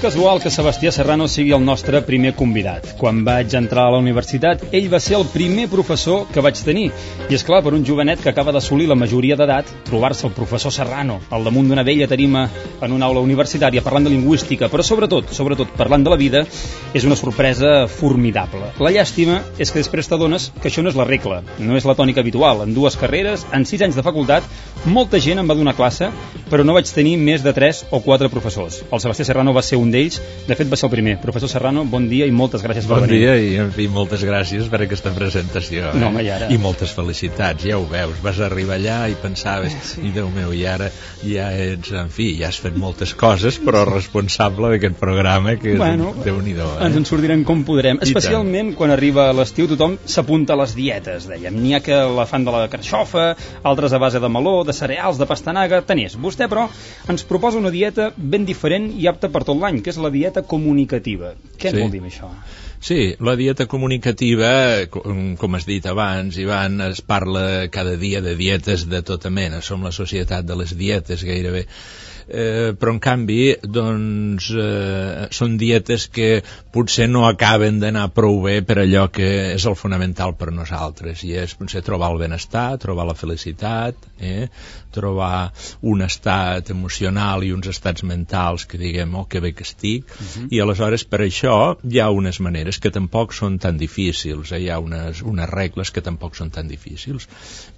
casual que Sebastià Serrano sigui el nostre primer convidat. Quan vaig entrar a la universitat, ell va ser el primer professor que vaig tenir. I és clar, per un jovenet que acaba d'assolir la majoria d'edat, trobar-se el professor Serrano al damunt d'una vella tarima en una aula universitària parlant de lingüística, però sobretot parlant de la vida, és una sorpresa formidable. La llàstima és que després t'adones que això no és la regla, no és la tònica habitual. En 2 carreres, en 6 anys de facultat, molta gent em va donar classe, però no vaig tenir més de 3 o 4 professors. El Sebastià Serrano va ser un d'ells, de fet va ser el primer. Professor Serrano, bon dia i moltes gràcies per venir. Bon dia i, en fi, moltes gràcies per aquesta presentació. No, home, i ara... I moltes felicitats, ja ho veus. Vas arribar allà i pensaves, i Déu meu, i ara ja ets, en fi, ja has fet moltes coses, però responsable d'aquest programa, que és Déu-n'hi-do. Ens en sortirem com podrem. Especialment quan arriba l'estiu, tothom s'apunta a les dietes, dèiem. N'hi ha que la fan de la carxofa, altres a base de meló, de cereals, de pastanaga, tant és. Vostè, però, ens proposa una dieta ben diferent i apta per tot l'any, que és la dieta comunicativa. Què vol dir això? Sí, la dieta comunicativa, com has dit abans, Ivan, es parla cada dia de dietes de tota mena. Som la societat de les dietes, gairebé. Però en canvi doncs són dietes que potser no acaben d'anar prou bé per allò que és el fonamental per nosaltres, i és potser trobar el benestar, trobar la felicitat, trobar un estat emocional i uns estats mentals que diguem, oh, que bé que estic, i aleshores per això hi ha unes maneres que tampoc són tan difícils, hi ha unes regles que tampoc són tan difícils.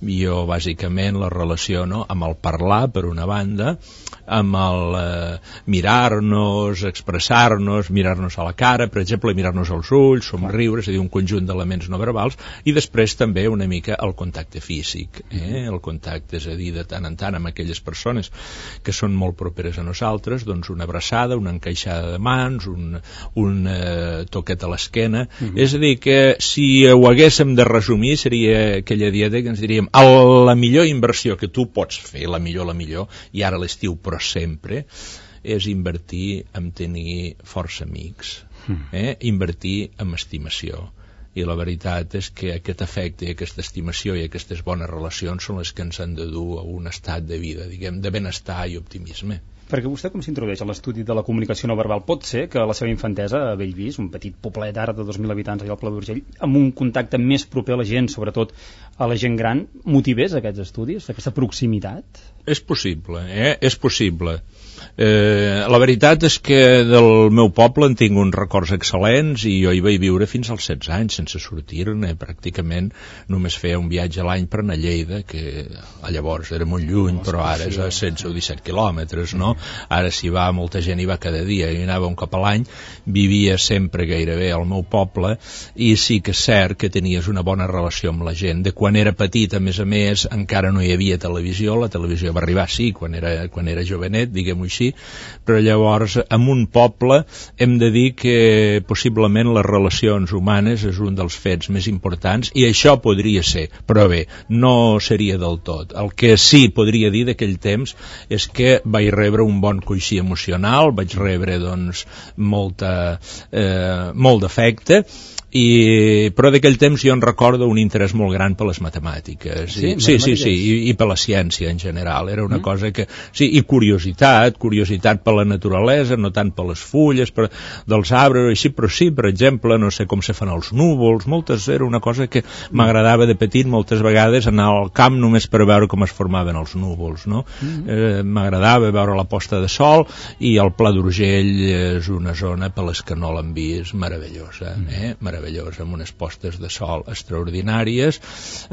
Jo bàsicament la relaciono amb el parlar per una banda, amb el mirar-nos, expressar-nos, mirar-nos a la cara, per exemple, mirar-nos als ulls, somriure, és a dir, un conjunt d'elements no verbals, i després també una mica el contacte físic, el contacte, és a dir, de tant en tant amb aquelles persones que són molt properes a nosaltres, doncs una abraçada, una encaixada de mans, un toquet a l'esquena, és a dir, que si ho haguéssim de resumir seria aquella dieta que ens diríem la millor inversió que tu pots fer, la millor, i ara l'estiu, però sempre, és invertir en tenir força amics, invertir en estimació. I la veritat és que aquest afecte, aquesta estimació i aquestes bones relacions són les que ens han de dur a un estat de vida, diguem, de benestar i optimisme. Perquè vostè com s'introdueix a l'estudi de la comunicació no verbal? Pot ser que a la seva infantesa a Bellvís, un petit poblet ara de 2.000 habitants allà al Pla d'Urgell, amb un contacte més proper a la gent, sobretot a la gent gran, motivés aquests estudis, aquesta proximitat? És possible, és possible. La veritat és que del meu poble en tinc uns records excel·lents i jo hi vaig viure fins als 16 anys sense sortir-ne, pràcticament només feia un viatge a l'any per anar a Lleida, que llavors era molt lluny, però ara és a 16 o 17 quilòmetres, no? Ara s'hi va, molta gent hi va cada dia, hi anava un cop a l'any, vivia sempre gairebé al meu poble, i sí que és cert que tenies una bona relació amb la gent. De quan era petit, a més, encara no hi havia televisió, la televisió va arribar, sí, quan era jovenet, diguem-ho així, però llavors en un poble hem de dir que possiblement les relacions humanes és un dels fets més importants, i això podria ser, però bé, no seria del tot. El que sí podria dir d'aquell temps és que vaig rebre un bon coixí emocional, vaig rebre doncs molt d'afecte, però d'aquell temps jo en recordo un interès molt gran per les matemàtiques, sí, i per la ciència en general. Era una cosa que, sí, i curiositat per la naturalesa, no tant per les fulles dels arbres, així, però sí, per exemple, no sé com se fan els núvols, era una cosa que m'agradava de petit moltes vegades anar al camp només per veure com es formaven els núvols, no? M'agradava veure la posta de sol, i el Pla d'Urgell és una zona per les que no l'han vist meravellosa, meravellosa, amb unes postes de sol extraordinàries.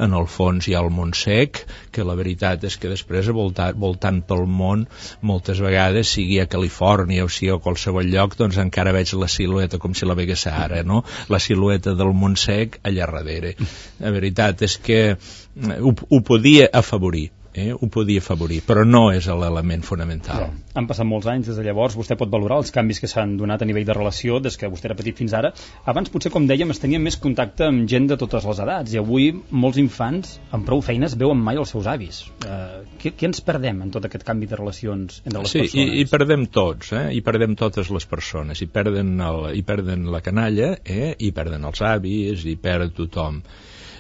En el fons hi ha el Montsec, que la veritat és que després voltant pel món moltes vegades, sigui a Califòrnia o sigui a qualsevol lloc, doncs encara veig la silueta com si la vegués ara, no? La silueta del Montsec allà darrere. La veritat és que ho podia afavorir, però no és l'element fonamental. Han passat molts anys des de llavors, vostè pot valorar els canvis que s'han donat a nivell de relació des que vostè era petit fins ara. Abans potser, com dèiem, es tenia més contacte amb gent de totes les edats, i avui molts infants amb prou feines veuen mai els seus avis. Què ens perdem en tot aquest canvi de relacions entre les persones? Sí, i perdem tots, i perdem totes les persones, i perden la canalla, i perden els avis, i perd tothom.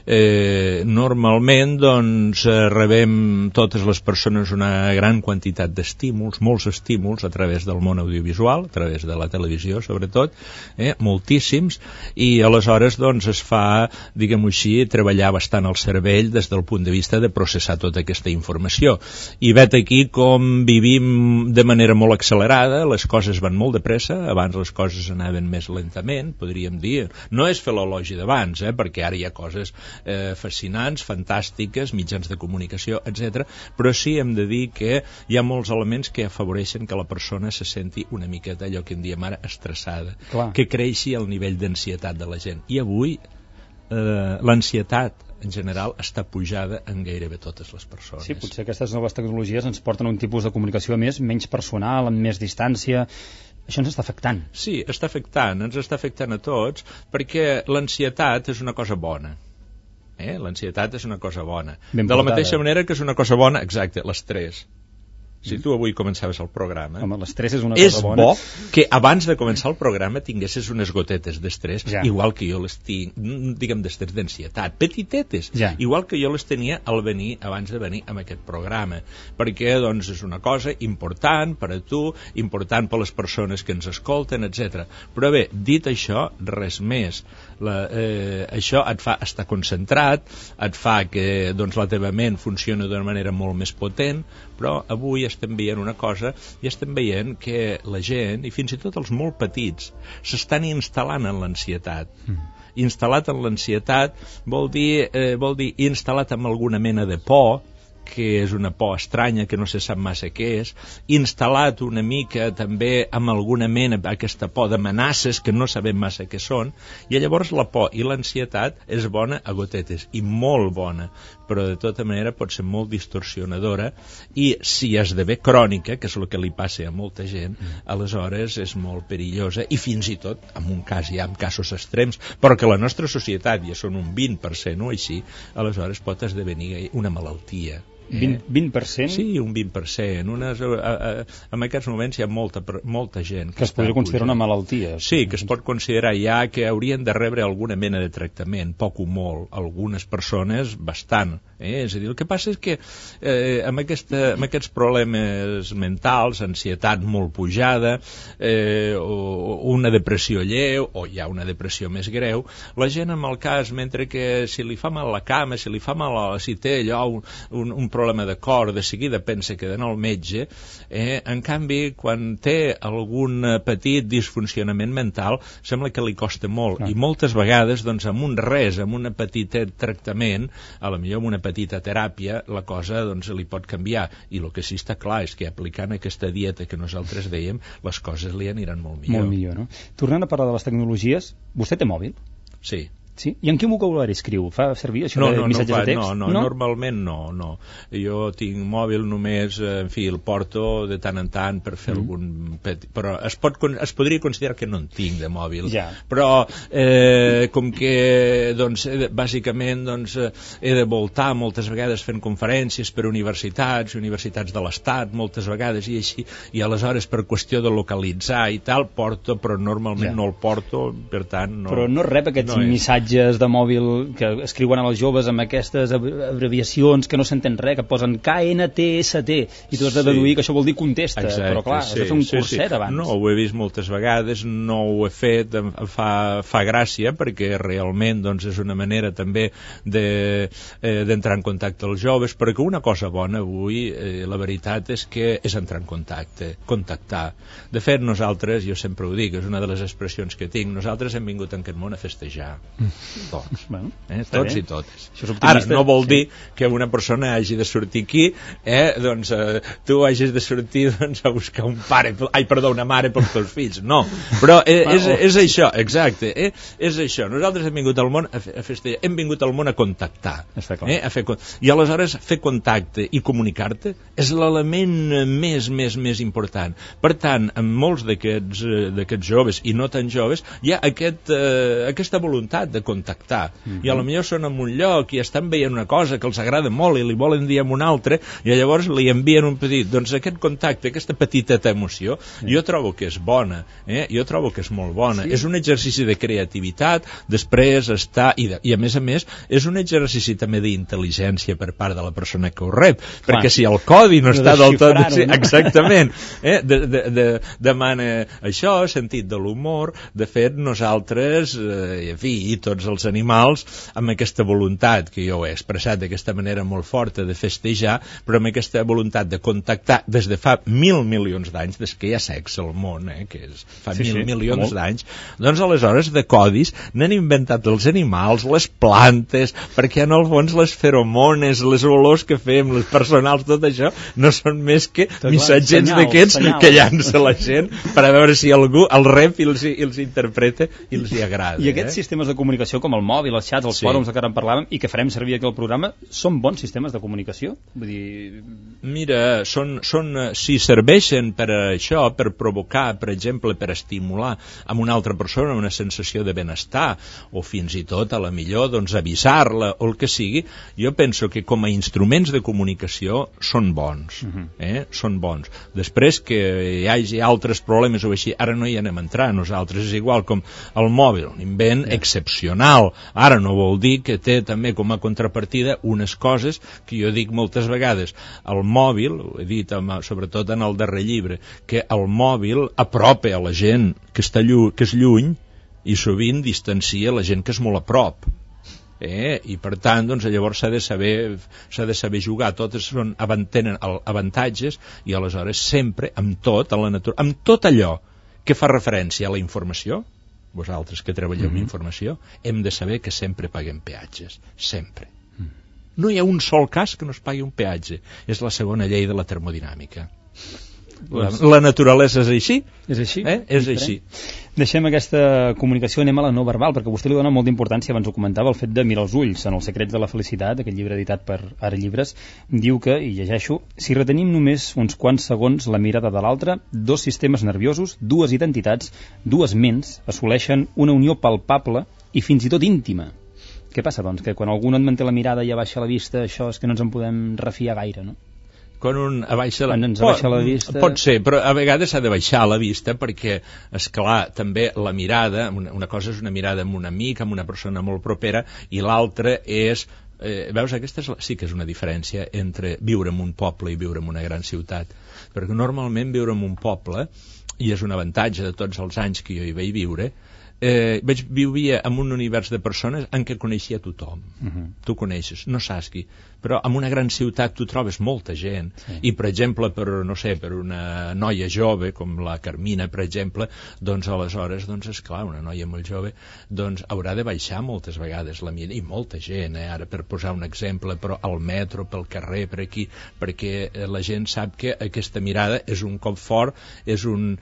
Normalment doncs rebem totes les persones una gran quantitat d'estímuls, molts estímuls a través del món audiovisual, a través de la televisió sobretot, moltíssims, i aleshores doncs es fa, diguem-ho així, treballar bastant el cervell des del punt de vista de processar tota aquesta informació. I vet aquí com vivim de manera molt accelerada, les coses van molt de pressa, abans les coses anaven més lentament, podríem dir. No és fer l'elogi d'abans, perquè ara hi ha coses fascinants, fantàstiques, mitjans de comunicació, etc. Però sí hem de dir que hi ha molts elements que afavoreixen que la persona se senti una miqueta, allò que en diem ara, estressada, que creixi el nivell d'ansietat de la gent. I avui l'ansietat en general està pujada en gairebé totes les persones. Sí, potser aquestes noves tecnologies ens porten a un tipus de comunicació menys personal, amb més distància. Això ens està afectant. Sí, ens està afectant a tots, perquè l'ansietat és una cosa bona. L'ansietat és una cosa bona. De la mateixa manera que és una cosa bona, exacte, l'estrès. Si tu avui començaves el programa... Home, l'estrès és una cosa bona. És bo que abans de començar el programa tinguessis unes gotetes d'estrès, igual que jo les tinc, diguem, d'estrès d'ansietat, petitetes, igual que jo les tenia abans de venir a aquest programa, perquè doncs és una cosa important per a tu, important per a les persones que ens escolten, etc. Però bé, dit això, res més. Això et fa estar concentrat, et fa que doncs, la teva ment funcioni d'una manera molt més potent, però avui estem veient una cosa, i estem veient que la gent, i fins i tot els molt petits, s'estan instal·lant en l'ansietat. Instal·lat en l'ansietat vol dir instal·lat amb alguna mena de por, que és una por estranya, que no se sap massa què és, instal·lat una mica també amb alguna mena, aquesta por d'amenaces que no sabem massa què són, i llavors la por i l'ansietat és bona a gotetes, i molt bona, però de tota manera pot ser molt distorsionadora, i si esdevé crònica, que és el que li passa a molta gent, aleshores és molt perillosa, i fins i tot, en un cas hi ha casos extrems, però que la nostra societat ja són un 20% o així, aleshores pot esdevenir una malaltia. 20%? Sí, un 20%. En aquests moments hi ha molta gent que es podria considerar una malaltia. Sí, que es pot considerar ja que haurien de rebre alguna mena de tractament, poc o molt, algunes persones bastant. És a dir, el que passa és que amb aquests problemes mentals, ansietat molt pujada, una depressió lleu, o hi ha una depressió més greu, la gent amb el cas, mentre que si li fa mal la cama, si li fa mal, si té allò un problema de cor, de seguida pensa que d'anar al metge, en canvi, quan té algun petit disfuncionament mental, sembla que li costa molt, i moltes vegades, doncs, amb un res, amb un petit tractament, a la millor amb una petita teràpia, la cosa, doncs, li pot canviar, i el que sí està clar és que aplicant aquesta dieta que nosaltres dèiem, les coses li aniran molt millor. Molt millor, no? Tornant a parlar de les tecnologies, vostè té mòbil? Sí. Sí? I en quin vocabulari escriu? Fa servir això de missatges de text? No, normalment no. Jo tinc mòbil només, en fi, el porto de tant en tant per fer algun petit... Però es podria considerar que no en tinc de mòbil. Però com que, doncs, bàsicament, doncs, he de voltar moltes vegades fent conferències per universitats de l'Estat, moltes vegades, i així, i aleshores per qüestió de localitzar i tal, porto, però normalment no el porto, per tant... Però no rep aquests missatges de mòbil que escriuen a els joves amb aquestes abreviacions que no s'entén res, que posen KNTST, i tu has de deduir que això vol dir contesta. Exacte, però clar, has de fer un curset abans. No, ho he vist moltes vegades, no ho he fet, fa gràcia, perquè realment doncs, és una manera també d'entrar en contacte als joves, perquè una cosa bona avui, la veritat és que és entrar en contacte, contactar. De fet, nosaltres, jo sempre ho dic, és una de les expressions que tinc, nosaltres hem vingut en aquest món a festejar. Tots, tots i totes. Ara, no vol dir que una persona hagi de sortir aquí, doncs tu hagis de sortir a buscar un pare, una mare pels teus fills, no, però és això, exacte, és això. Nosaltres hem vingut al món a festejar, hem vingut al món a contactar, i aleshores fer contacte i comunicar-te és l'element més important. Per tant, en molts d'aquests joves i no tan joves hi ha aquesta voluntat de contactar. I a lo millor són en un lloc i estan veient una cosa que els agrada molt i li volen dir en un altre, i llavors li envien un petit. Doncs aquest contacte, aquesta petiteta emoció, jo trobo que és bona, jo trobo que és molt bona. És un exercici de creativitat, després està, i a més, és un exercici també d'intel·ligència per part de la persona que ho rep, perquè si el codi no està del tot... Exactament. Demana això, sentit de l'humor. De fet, nosaltres, en fi, i tots els animals, amb aquesta voluntat que jo he expressat d'aquesta manera molt forta de festejar, però amb aquesta voluntat de contactar des de fa 1.000 milions d'anys, des que hi ha sexe al món, que és fa 1.000 milions d'anys, doncs aleshores de codis n'han inventat els animals, les plantes, perquè en el fons les feromones, les olors que fem, les personals, tot això, no són més que missatgets d'aquests que llança la gent per a veure si algú el rep i els interpreta i els hi agrada. I aquests sistemes de comunicació, com el mòbil, els xats, els fòrums de què ara en parlàvem, i que farem servir aquí al programa, són bons sistemes de comunicació? Vull dir... Mira, si serveixen per això, per provocar, per exemple, per estimular a una altra persona una sensació de benestar, o fins i tot, a la millor, doncs avisar-la, o el que sigui, jo penso que com a instruments de comunicació són bons. Són bons. Després que hi hagi altres problemes o així, ara no hi anem a entrar, nosaltres és igual com el mòbil, un invent excepcional. Ara no vol dir que té també com a contrapartida unes coses que jo dic moltes vegades. El mòbil, ho he dit sobretot en el darrer llibre, que el mòbil apropa a la gent que és lluny i sovint distancia la gent que és molt a prop. I per tant, doncs, llavors s'ha de saber jugar. Totes tenen avantatges, i aleshores sempre, amb tot, a la natura, amb tot allò que fa referència a la informació, vosaltres que treballeu amb informació, hem de saber que sempre paguem peatges, sempre. No hi ha un sol cas que no es pagui un peatge. És la segona llei de la termodinàmica. La naturalesa és així? És així? És així. Deixem aquesta comunicació, anem a la no verbal, perquè vostè li dona molta importància, abans ho comentava, el fet de mirar els ulls. En Els secrets de la felicitat, aquest llibre editat per Ara Llibres, diu que, i llegeixo, si retenim només uns quants segons la mirada de l'altre, dos sistemes nerviosos, dues identitats, dues ments, assoleixen una unió palpable i fins i tot íntima. Què passa, doncs? Que quan algú no et manté la mirada i abaixa la vista, això és que no ens en podem refiar gaire, no? Quan un abaixa la vista... Pot ser, però a vegades s'ha de baixar la vista perquè, esclar, també la mirada, una cosa és una mirada amb un amic, amb una persona molt propera, i l'altra és... veus, aquesta sí que és una diferència entre viure en un poble i viure en una gran ciutat, perquè normalment viure en un poble, i és un avantatge de tots els anys que jo hi vaig viure, vivia en un univers de persones en què coneixia tothom. Tu coneixes, no saps qui, però en una gran ciutat tu trobes molta gent, i per exemple per una noia jove com la Carmina, per exemple, doncs aleshores, doncs esclar, una noia molt jove, doncs haurà de baixar moltes vegades la mirada, i molta gent, ara per posar un exemple, però al metro, pel carrer, per aquí, perquè la gent sap que aquesta mirada és un cop fort, és un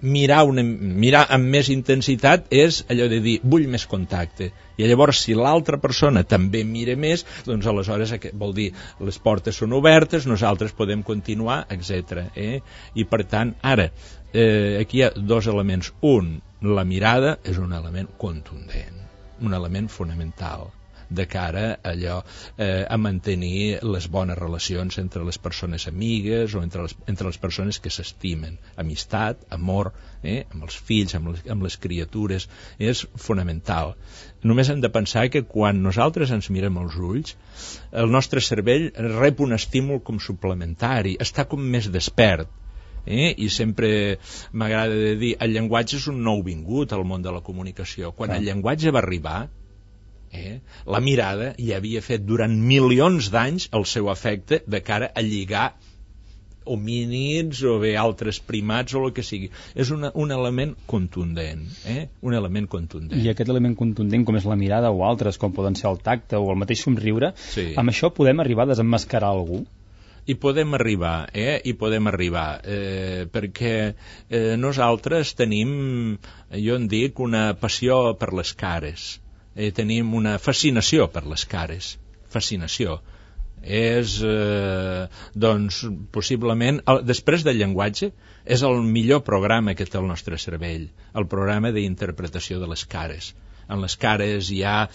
mirar amb més intensitat, és allò de dir, vull més contacte, i llavors si l'altra persona també mira més, doncs aleshores vol dir, les portes són obertes, nosaltres podem continuar, etc. I per tant, ara, aquí hi ha dos elements. Un, la mirada és un element contundent, un element fonamental de cara a allò, a mantenir les bones relacions entre les persones amigues o entre les persones que s'estimen. Amistat, amor, amb els fills, amb les criatures, és fonamental. Només hem de pensar que quan nosaltres ens mirem als ulls, el nostre cervell rep un estímul com suplementari, està com més despert. I sempre m'agrada de dir, el llenguatge és un nou vingut al món de la comunicació. Quan el llenguatge va arribar, la mirada ja havia fet durant milions d'anys el seu efecte de cara a lligar homínids o bé altres primats o el que sigui. És un element contundent, un element contundent. I aquest element contundent, com és la mirada o altres, com poden ser el tacte o el mateix somriure, amb això podem arribar a desemmascarar algú? I podem arribar, perquè nosaltres tenim, jo en dic, una passió per les cares. Tenim una fascinació per les cares. Fascinació. És, doncs, possiblement, després del llenguatge, és el millor programa que té el nostre cervell, el programa d'interpretació de les cares. En les cares hi ha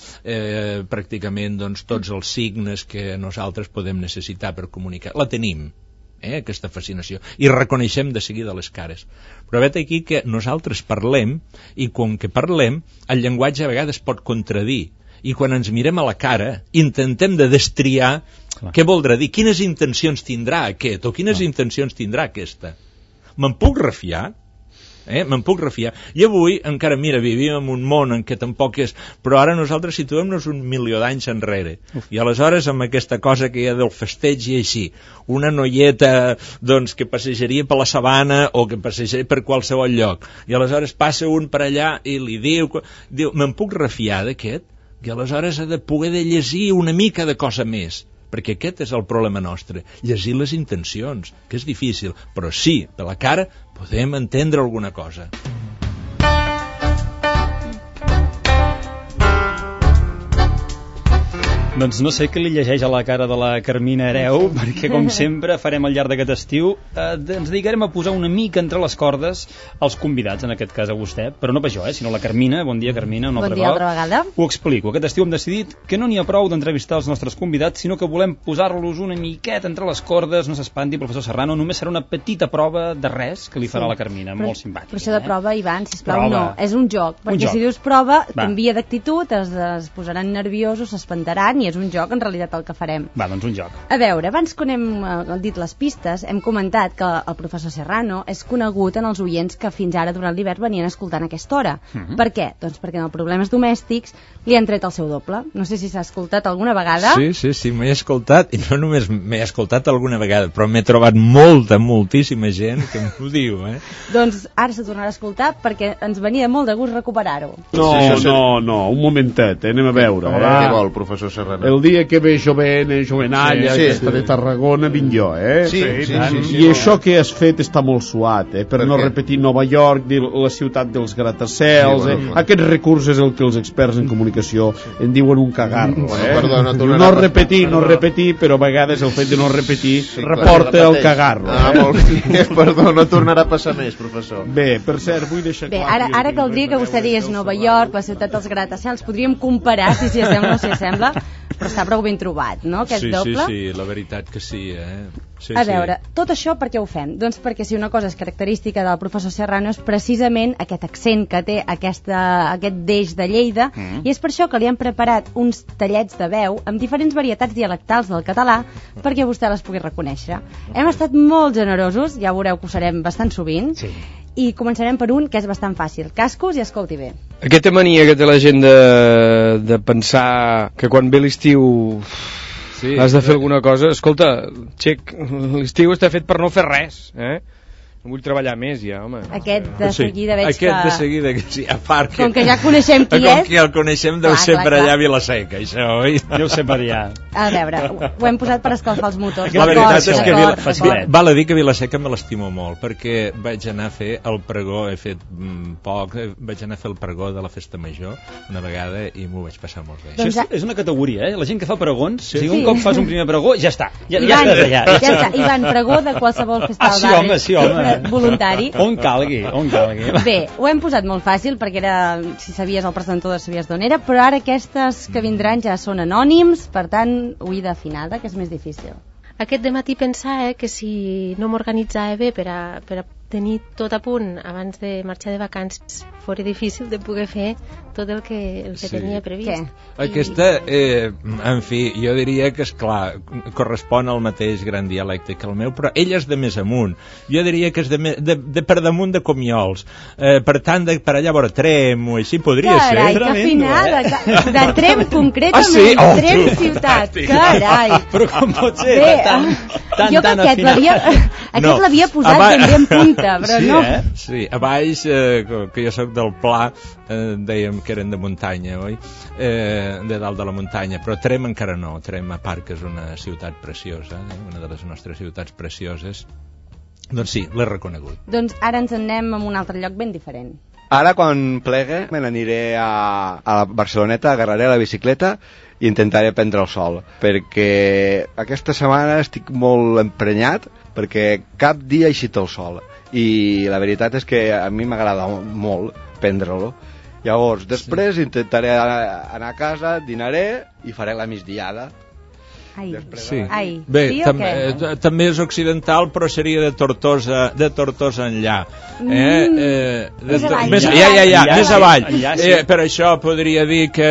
pràcticament doncs, tots els signes que nosaltres podem necessitar per comunicar. La tenim, aquesta fascinació, i reconeixem de seguida les cares. Però vet aquí que nosaltres parlem, i com que parlem, el llenguatge a vegades pot contradir, i quan ens mirem a la cara intentem de destriar què voldrà dir, quines intencions tindrà aquest o quines intencions tindrà aquesta. Me'n puc refiar? Me'n puc refiar. I avui encara, mira, vivim en un món en què tampoc és, però ara nosaltres situem-nos 1.000.000 d'anys enrere. I aleshores amb aquesta cosa que hi ha del festeig i així, una noieta doncs, que passejaria per la sabana o que passejaria per qualsevol lloc, i aleshores passa un per allà i li diu me'n puc refiar d'aquest? I aleshores ha de poder de llegir una mica de cosa més, perquè aquest és el problema nostre, llegir les intencions, que és difícil, però sí, per la cara podem entendre alguna cosa. Doncs no sé què li llegeix a la cara de la Carmina Hereu, perquè com sempre farem al llarg d'aquest estiu, ens dedicarem a posar una mica entre les cordes als convidats, en aquest cas a vostè, però no per jo, sinó la Carmina. Bon dia, Carmina, un altre cop. Bon dia, altra vegada. Ho explico. Aquest estiu hem decidit que no n'hi ha prou d'entrevistar els nostres convidats, sinó que volem posar-los una miqueta entre les cordes. No s'espanti, professor Serrano, només serà una petita prova de res que li farà la Carmina, molt simpàtica. Però això de prova, Ivan, sisplau, no, és un joc, perquè si dius prova, t'envia d'actitud, es posaran nerviosos, s'espantaran, i és un joc, en realitat, el que farem. Va, doncs un joc. A veure, abans que hem dit les pistes, hem comentat que el professor Serrano és conegut en els oients que fins ara durant l'hivern venien escoltant a aquesta hora. Per què? Doncs perquè en els problemes domèstics li han tret el seu doble. No sé si s'ha escoltat alguna vegada. Sí, m'he escoltat, i no només m'he escoltat alguna vegada, però m'he trobat moltíssima gent que m'ho diu, Doncs ara se tornarà a escoltar perquè ens venia molt de gust recuperar-ho. No, un momentet, anem a veure. Què vol, professor Serrano? El dia que ve jovenalla, aquesta de Tarragona, vinc jo, Sí. I això que has fet està molt suat, per no repetir Nova York, la ciutat dels gratacels, Aquest recurs és el que els experts en comunicació en diuen un cagarro, No repetir, però a vegades el fet de no repetir reporta el cagarro. Molt bé, perdó, no tornarà a passar més, professor. Bé, per cert, vull deixar clar... Bé, ara caldria que vostè digués Nova York, la ciutat dels gratacels, podríem comparar si s'hi assembla o no s'hi assembla, però està prou ben trobat, no, aquest doble? Sí, la veritat que sí, A veure, tot això per què ho fem? Doncs perquè si una cosa és característica del professor Serrano és precisament aquest accent que té aquest deix de Lleida, i és per això que li han preparat uns tallets de veu amb diferents varietats dialectals del català perquè vostè les pugui reconèixer. Hem estat molt generosos, ja veureu que ho serem bastant sovint, i començarem per un que és bastant fàcil. Cascos i escolti bé. Aquesta mania que té la gent de pensar que quan ve l'estiu has de fer alguna cosa, escolta, xec, l'estiu està fet per no fer res, No vull treballar més ja, home. Aquest de seguida veig que... Aquest de seguida, que sí, a part que... Com que ja coneixem qui és... Com que el coneixem deu ser per allà a Vilaseca, això, oi? Deu ser per allà. A veure, ho hem posat per escalfar els motors. La veritat és que val a dir que Vilaseca me l'estimo molt, perquè vaig anar a fer el pregó, he fet poc, vaig anar a fer el pregó de la Festa Major una vegada i m'ho vaig passar molt bé. Això és una categoria, La gent que fa pregons, si un cop fas un primer pregó, ja està. Ja està. Ivan, pregó de qualsevol festa al barri. Sí, home. Voluntari. On calgui. Bé, ho hem posat molt fàcil perquè era, si sabies el presentador sabies d'on era, però ara aquestes que vindran ja són anònims, per tant, oïda afinada, que és més difícil. Aquest dematí pensava que si no m'organitzava bé per a tenir tot a punt abans de marxar de vacances fora difícil de poder fer tot el que tenia previst. Aquesta, en fi, jo diria que, esclar, correspon al mateix gran dialecte que el meu, però ell és de més amunt. Jo diria que és de per damunt de Comiols. Per tant, per allà vora Trem o així podria ser. Carai, que afinada. De Trem concretament, Trem ciutat. Carai. Però com pot ser? Jo que aquest l'havia posat ben bé en punta, però no. Sí, a baix, que jo soc del Pla, dèiem que eren de muntanya, oi? De dalt de la muntanya, però Trem encara no. Trem, a part que és una ciutat preciosa, una de les nostres ciutats precioses, doncs sí, l'he reconegut. Doncs ara ens en anem a un altre lloc ben diferent. Ara, quan plegue, me n'aniré a la Barceloneta, agarraré la bicicleta i intentaré prendre el sol, perquè aquesta setmana estic molt emprenyat, perquè cap dia ha eixit el sol, i la veritat és que a mi m'agrada molt prendre-lo, Llavors, després intentaré anar a casa, dinaré i faré la migdiada. Ai. Sí. Ai. Bé, Sí o què? també és occidental, però seria de Tortosa enllà. Més avall. Més avall. Enllà, sí. Per això podria dir que,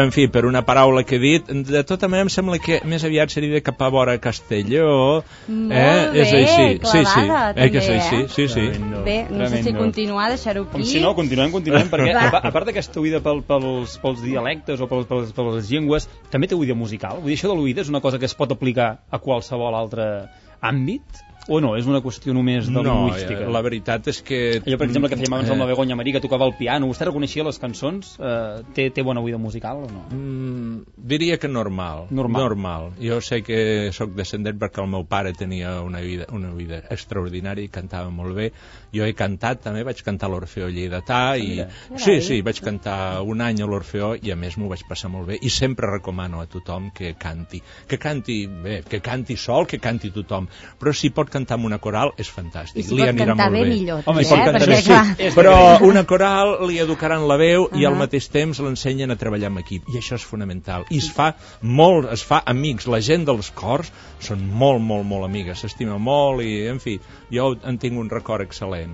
en fi, per una paraula que he dit, de tota manera em sembla que més aviat seria de cap a vora Castelló. Molt bé, És així. clavada, també, que és així, sí. Tremendo, Bé, no sé si tremendo. continuar, deixar-ho aquí. Com si no, continuem, perquè Va. a part d'aquesta oïda pels dialectes o per les llengües, també té oïda musical. Vull dir, això de l'oïda és una cosa que es pot aplicar a qualsevol altre àmbit? O no? És una qüestió només de lingüística? No, la veritat és que... Jo, per exemple, que fèiem abans amb la Begoña Marí, que tocava el piano, vostè reconeixia les cançons? Té bona oïda musical o no? Diria que normal. Jo sé que sóc descendent perquè el meu pare tenia una oïda extraordinària i cantava molt bé. Jo he cantat, també vaig cantar a l'Orfeó Lleidatà i... Sí, vaig cantar un any a l'Orfeó i a més m'ho vaig passar molt bé i sempre recomano a tothom que canti bé, que canti sol, que canti tothom, però si pot cantar amb una coral és fantàstic. I si pot cantar bé millor. Home, però una coral li educaran la veu i al mateix temps l'ensenyen a treballar en equip i això és fonamental i es fa amics, la gent dels cors són molt amigues, s'estima molt i en fi, jo en tinc un record excel·lent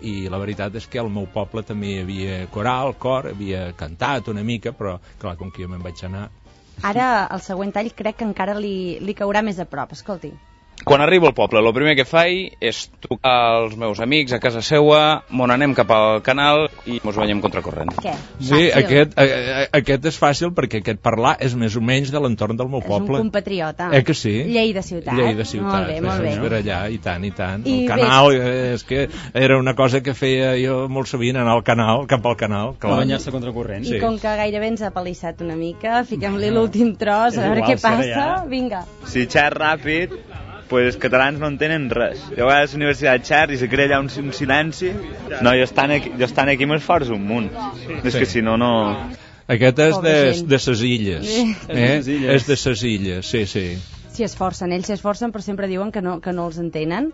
i la veritat és que al meu poble també hi havia coral, cor, havia cantat una mica, però clar, com que jo me'n vaig anar. Ara el següent tall crec que encara li caurà més a prop, escolti. Quan arribo al poble, el primer que faig és trucar als meus amics a casa seua, m'on anem cap al canal i mos veiem contracorrent. Què? Sí, aquest és fàcil perquè aquest parlar és més o menys de l'entorn del meu poble. És un compatriota. Que sí? Lleida ciutat. Molt bé. Per allà, i tant. El canal, és que era una cosa que feia jo molt sovint, anar al canal, cap al canal. A banyar-se contracorrent. I com que gairebé ens ha palissat una mica, fiquem-li l'últim tros, a veure què passa. Vinga. Si xerra ràpid, pues els catalans no entenen res. Jo vaig a la universitat xer i se crea allà un silenci. No, jo estan aquí m'esforço un munt. És que si no... Aquest és de ses illes. És de ses illes, sí. S'hi esforcen, ells s'esforcen però sempre diuen que no els entenen.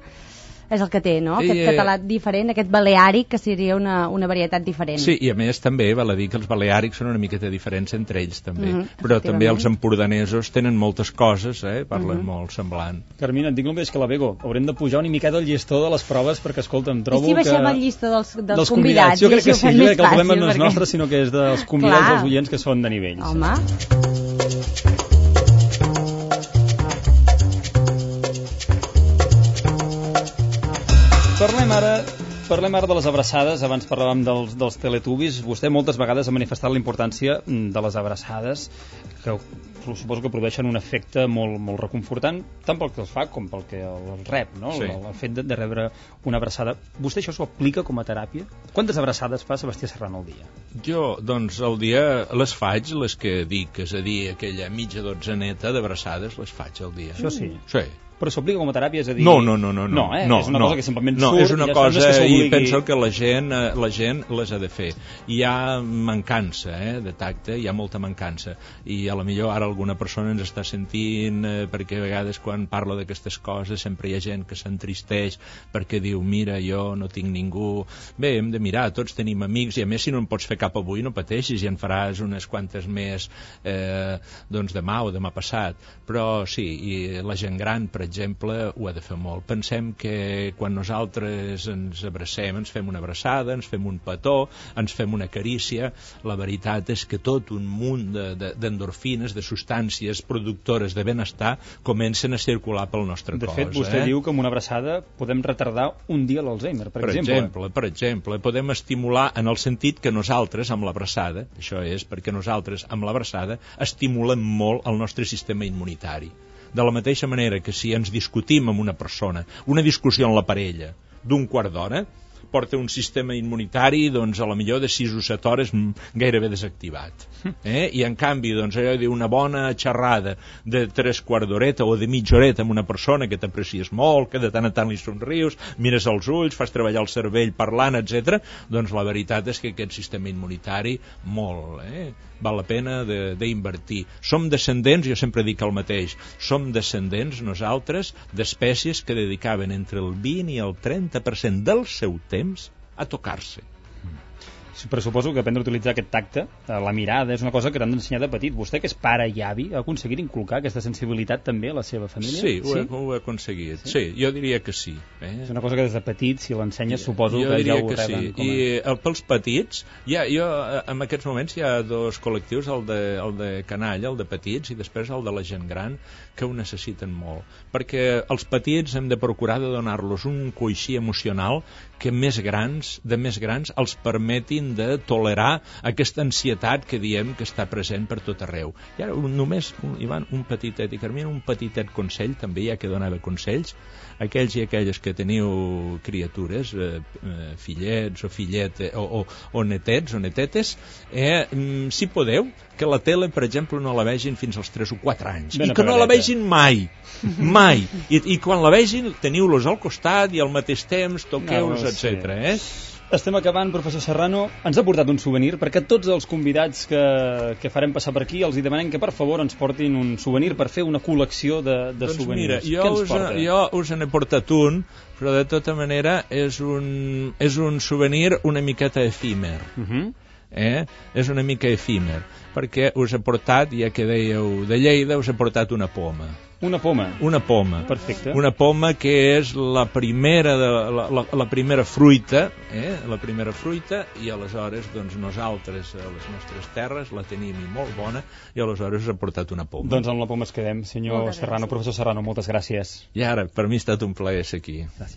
És el que té, no? Aquest català diferent, aquest baleàric, que seria una varietat diferent. Sí, i a més també val a dir que els baleàrics són una miqueta diferents entre ells també, però també els empordanesos tenen moltes coses, parlen molt semblant. Carmina, et dic només que la Bego, haurem de pujar una miqueta el llistó de les proves perquè, escolta, em trobo que... I si baixem el llistó dels convidats? Jo crec que sí, jo crec que el problema no és nostre, sinó que és dels convidats dels oients que són de nivell. Home... Parlem ara de les abraçades. Abans parlàvem dels teletubbies. Vostè moltes vegades ha manifestat la importància de les abraçades, que suposo que produeixen un efecte molt reconfortant, tant pel que els fa com pel que el rep, no? Sí. El fet de rebre una abraçada. Vostè això s'ho aplica com a teràpia? Quantes abraçades fa Sebastià Serrano al dia? Jo, doncs, al dia les faig, les que dic, és a dir, aquella mitja dotzeneta d'abraçades les faig al dia. Això sí? Sí. Però s'aplica com a teràpia, és a dir... No. És una cosa que simplement surt... No, és una cosa i penso que la gent les ha de fer. Hi ha mancança de tacte, hi ha molta mancança. I a la millor ara alguna persona ens està sentint perquè a vegades quan parlo d'aquestes coses sempre hi ha gent que s'entristeix perquè diu, mira, jo no tinc ningú... Bé, hem de mirar, tots tenim amics i a més si no en pots fer cap avui no pateixis i en faràs unes quantes més doncs demà o demà passat. Però sí, i la gent gran, per exemple, ho ha de fer molt. Pensem que quan nosaltres ens abracem, ens fem una abraçada, ens fem un petó, ens fem una carícia, la veritat és que tot un munt d'endorfines, de substàncies productores de benestar comencen a circular pel nostre cos. De fet, vostè diu que amb una abraçada podem retardar un dia l'Alzheimer, per exemple. Per exemple, podem estimular en el sentit que nosaltres, amb l'abraçada, això és perquè nosaltres, amb l'abraçada, estimulem molt el nostre sistema immunitari. De la mateixa manera que si ens discutim amb una persona, una discussió en la parella d'un quart d'hora, porta un sistema immunitari doncs a la millor de 6 o 7 hores gairebé desactivat. I en canvi doncs allò d'una bona xerrada de 3/4 d'horeta o de mitja horeta amb una persona que t'aprecies molt, que de tant en tant li somrius, mires als ulls, fas treballar el cervell parlant, etc. Doncs la veritat és que aquest sistema immunitari molt, val la pena d'invertir. Som descendents, jo sempre dic el mateix, som descendents nosaltres d'espècies que dedicaven entre el 20 i el 30% del seu temps a tocar-se. Però suposo que aprendre a utilitzar aquest tacte, la mirada, és una cosa que t'han d'ensenyar de petit. Vostè, que és pare i avi, ha aconseguit inculcar aquesta sensibilitat també a la seva família? Sí, ho he aconseguit. Sí, jo diria que sí. És una cosa que des de petit, si l'ensenyes, suposo que ja ho reben. I pels petits, en aquests moments hi ha dos col·lectius, el de canalla, el de petits, i després el de la gent gran, que ho necessiten molt. Perquè els petits hem de procurar de donar-los un coixí emocional que més grans els permetin de tolerar aquesta ansietat que diem que està present per tot arreu. I ara només, Ivan, un petitet, i Carmina, un petitet consell, també hi ha que donar consells, aquells i aquelles que teniu criatures, fillets o filletes, o netets o netetes, si podeu, que la tele, per exemple, no la vegin fins als 3 o 4 anys. I que no la vegin mai. Mai. I quan la vegin, teniu-los al costat i al mateix temps, toqueu-los, etc. Estem acabant, professor Serrano. Ens ha portat un souvenir, perquè tots els convidats que farem passar per aquí els hi demanem que per favor ens portin un souvenir per fer una col·lecció de souvenirs. Mira, jo us n'he portat un, però de tota manera és un souvenir una miqueta efímer. És una mica efímer, perquè us he portat, ja que dèieu de Lleida, us he portat una poma. Una poma? Una poma. Perfecte. Una poma que és la primera fruita, i aleshores doncs nosaltres a les nostres terres la tenim molt bona, i aleshores us he portat una poma. Doncs amb la poma es quedem, senyor Serrano, professor Serrano, moltes gràcies. I ara, per mi ha estat un plaer ser aquí. Gràcies.